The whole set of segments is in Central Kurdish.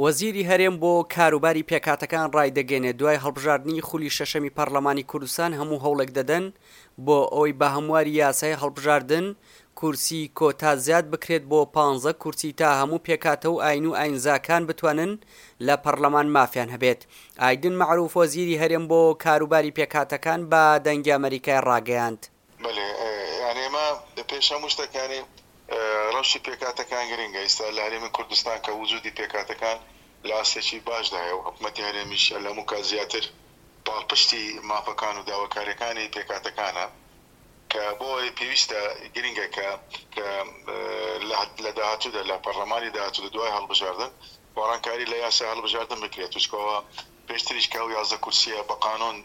وەزیری هەرێم بۆ کاروباری پێکهاتەکان ڕایدەگەیەنێت، دوای هەڵبژاردنی خولی شەشەمی پەڕلەمانی کوردستان هەموو هەوڵێک دەدەن بۆ ئەوەی بە هەمواری یاسای هەڵبژاردن کورسی کۆتا زیاد بکرێت بۆ پانزە کورسی تا هەموو پێکهاتە و ئاین و ئاینزاکان بتوانن لە پەڕلەمان مافیان هەبێت. ئایدن مەعروف وەزیری هەرێم بۆ کاروباری پێکهاتەکان بە دەنگی ئەمەریکای ڕاگەیاند، بەلێ یانی ئێمە پێش هەموو شتەک یانی ڕەوشی پێکهاتەکان گرنگە ئیستا لە هەرێمی کوردستان کە وجودی پێکهاتەکان لە ئاستێکی باشدایە و حکومەتی هەرێمیش لە هەموو کات زیاتر پاڵپشتی مافەکان و داواکاریەکانی پێکهاتەکانە کە بۆ ئەوەی پێویستە گرنگە کە کە لە داهاتوودا لە پەڕلەمانی داهاتوو دوای هەڵبژاردن گۆڕانکاری لە یاسای هەڵبژاردن بکرێت چونکە پێشتریش کە ئەو 11 کورسیە بە قانون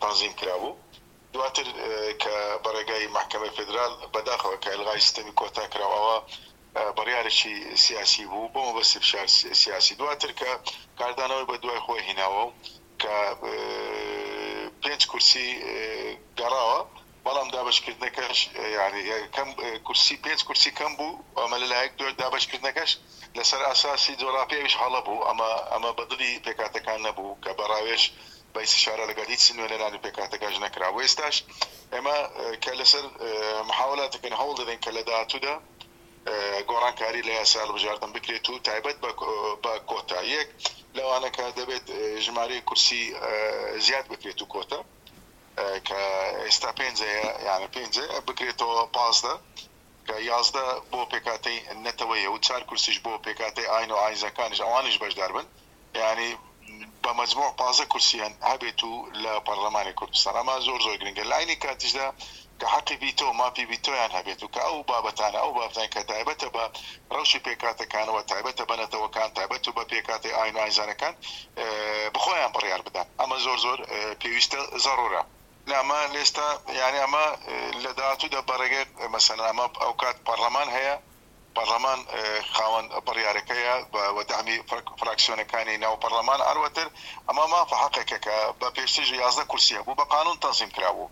تەنزیم کرابوو دواتر کە بە ڕێگای مەحکەمەی فێدرال بەداخەوە کە ئیلغای سیستەمی کۆتا کرا و ئەوە بڕیارێکی سیاسی بوو بۆ مەبەستی فشار سیاسی دواتر کە کاردانەوەی بە دوای خۆی هیناوە و کە پێنج کورسی گەڕاوە بەڵام دابەشکردنەکەش یانی کەم کورسی پێنج کورسی کەم بوو ئەمە لەلایەک دوای دابەشکردنەکەش لەسەر ئەساسی جۆراپی ئەویش هەڵە بوو ئەمە ئەمە بە دڵی پێکهاتەکان نەبوو کە بە ڕاوێژ بە ئیستیشارە لەگەڵ هیچ نوێنەرانی پێکهاتەکانش نەکرا و ئێستاش ئێمە کە لەسەر محاولات دەکەین هەوڵ دەدەین کە لە داهاتوودا گۆڕانکاری لە یاسای هەڵبژاردن بکرێت و تایبەت بە کۆتا یەک لەوانە کە دەبێت ژمارەی کورسی زیاد بکرێت و کۆتا کە ئێستا پێنج هەیە یانە پێنج بکرێتەوە 15 کە 11 بۆ پێکهاتەی نەتەوەیە و چار کورسیش بۆ پێکهاتەی ئاین و ئاینزەکانیش ئەوانیش بەشدار بن یانی بە مەجموع 15 کورسیان هەبێت و لە پەڕلەمانی کوردستان ئەمە زۆر زۆر گرنگە لە عەینی کاتیشدا کە حەقی ڤیتۆ مافی ڤیتۆیان هەبێت و کە ئەو بابەتانە ئەو بابەتانە کە تایبەتە بە ڕەوشی پێکهاتەکانەوە تایبەتە بە نەتەوەکان تایبەت بە پێکهاتەی ئاین و ئاینزانەکان بخۆیان بڕیار بدەن ئەمە زۆر زۆر پێویستە زەڕورە. نا ئەمە لێستا یانی ئەمە لە داهاتوودا بە ڕێگەی مەسەلەن ئەمە ئەوکات پەڕلەمان هەیە پەڕلەمان خاوەن بڕیارەکەیە بە دەعمی فراکسیۆنەکانی ناو پەڕلەمان هەروەتر ئەمە مافە حەقێکە کە بە پێشتریش 11 کورسی هەبوو بە قانون تەنزیم کرابوو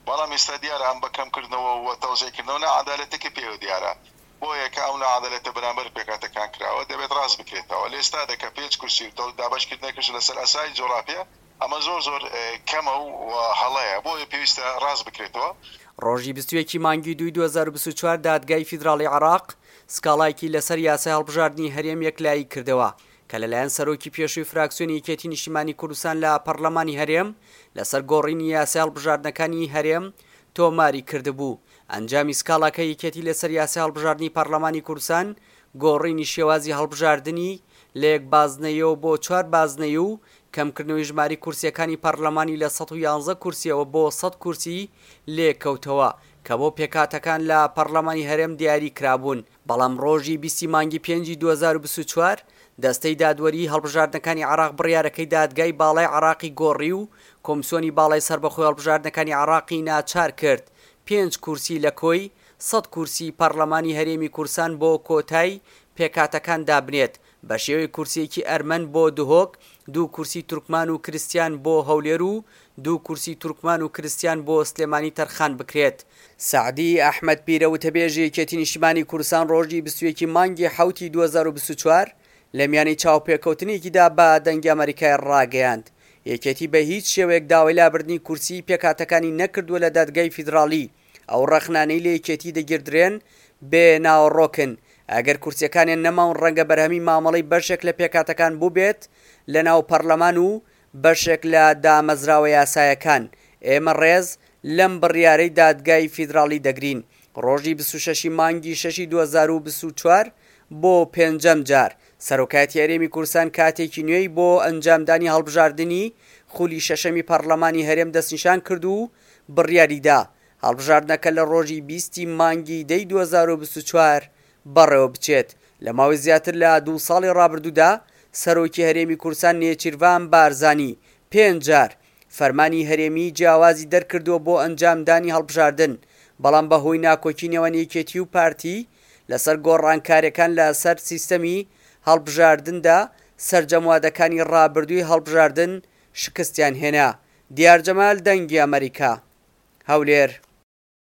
بەڵام ئیستا دیارە ئەم بە کەم کردنەوە و تەوزیع کردنەوە ناعەدالەتێکی پێوە دیارە بۆیە کە ئەو ناعەدالەتە بەرامبەر پێکهاتەکان کراوە دەبێت ڕاست بکرێتەوە لە ئێستادا کە پێنج کورسی و دابەشکردنەکەش لەسەر ئەسای جۆراپیە ئەمە زۆر زۆر کەمە و هەڵەیە بۆیە پێویستە ڕاست بکرێتەوە. ڕۆژی 21 ی مانگی دووی 2024 دادگای فیدراڵی عێراق سکاڵایەکی لەسەر یاسای هەڵبژاردنی هەرێم یەکلایی کردەوە کە لەلایەن سەرۆکی پێشووی فراکسیۆنی یەکێتی نیشتیمانی کوردستان لە پەڕلەمانی هەرێم لەسەر گۆڕینی یاسای هەڵبژاردنەکانی هەرێم تۆماری کردبوو. ئەنجامی سکاڵاکەی یەکێتی لەسەر یاسای هەڵبژاردنی پەڕلەمانی کوردستان گۆڕینی شێوازی هەڵبژاردنی لە یەک بازنەیەوە بۆ چوار بازنەی و کەمکردنەوەی ژمارەی کورسییەکانی پەڕلەمانی لە 111 کورسییەوە بۆ 100 کورسی لێکەوتەوە کە بۆ پێکهاتەکان لە پەڕلەمانی هەرێم دیاری کرابوون، بەڵام ڕۆژی 20 ی مانگی پێنجی 2024 دەستەی دادوەریی هەڵبژاردنەکانی عێراق بڕیارەکەی دادگای باڵای عێراقی گۆڕی و کۆمسیۆنی باڵای سەربەخۆی هەڵبژاردنەکانی عێراقی ناچار کرد پێنج کورسی لە کۆی 100 کورسی پەڕلەمانی هەرێمی کوردستان بۆ کۆتای پێکهاتەکان دابنێت بەشێوەی کورسییەکی ئەرمەن بۆ دهۆک، دوو کورسی تورکمان و کرستیان بۆ هەولێر و دوو کورسی تورکمان و کرستیان بۆ سلێمانی تەرخان بکرێت. سەعدی ئەحمەد پیرە وتەبێژی یەکێتی نیشتیمانی کوردستان ڕۆژی 21 ی مانگی حەوتی 2024 لە میانەی چاوپێکەوتنێکیدا بە دەنگی ئەمەریکای ڕاگەیاند یەکێتی بە هیچ شێوەیەک داوای لابردنی کورسیی پێکهاتەکانی نەکردووە لە دادگای فیدراڵی ئەو ڕەخنانەی لە یەکێتی دەگیردرێن بێ ناوەڕۆکن، ئەگەر کورسیەکانیان نەماون ڕەنگە بەرهەمی مامەڵەی بەشێک لە پێکهاتەکان بووبێت لەناو پەڕلەمان و بەشێک لە دامەزراوە یاسایەکان، ئێمە ڕێز لەم بڕیارەی دادگای فیدراڵی دەگرین. ڕۆژی 26 ی مانگی شەشی 2024 بۆ پێنجەم جار سەرۆکایەتی هەرێمی کوردستان کاتێکی نوێی بۆ ئەنجامدانی هەڵبژاردنی خولی شەشەمی پەڕلەمانی هەرێم دەستنیشان کرد و بڕیاریدا هەڵبژاردنەکە لە ڕۆژی 20 ی مانگی دەی 2024 بەڕێوەبچێت. لە ماوەی زیاتر لە دوو ساڵی ڕابردوودا سەرۆکی هەرێمی کوردستان نێچیرڤان بارزانی پێنج جار فەرمانی هەرێمیی جیاوازی دەرکردووە بۆ ئەنجامدانی هەڵبژاردن، بەڵام بەهۆی ناکۆکی نێوان یەکێتی و پارتی لەسەر گۆڕانکارییەکان لەسەر سیستەمی هەڵبژاردندا سەرجەم وادەکانی ڕابردووی هەڵبژاردن شکستیان هێنا. دیار جەمال، دەنگی ئەمەریکا، هەولێر.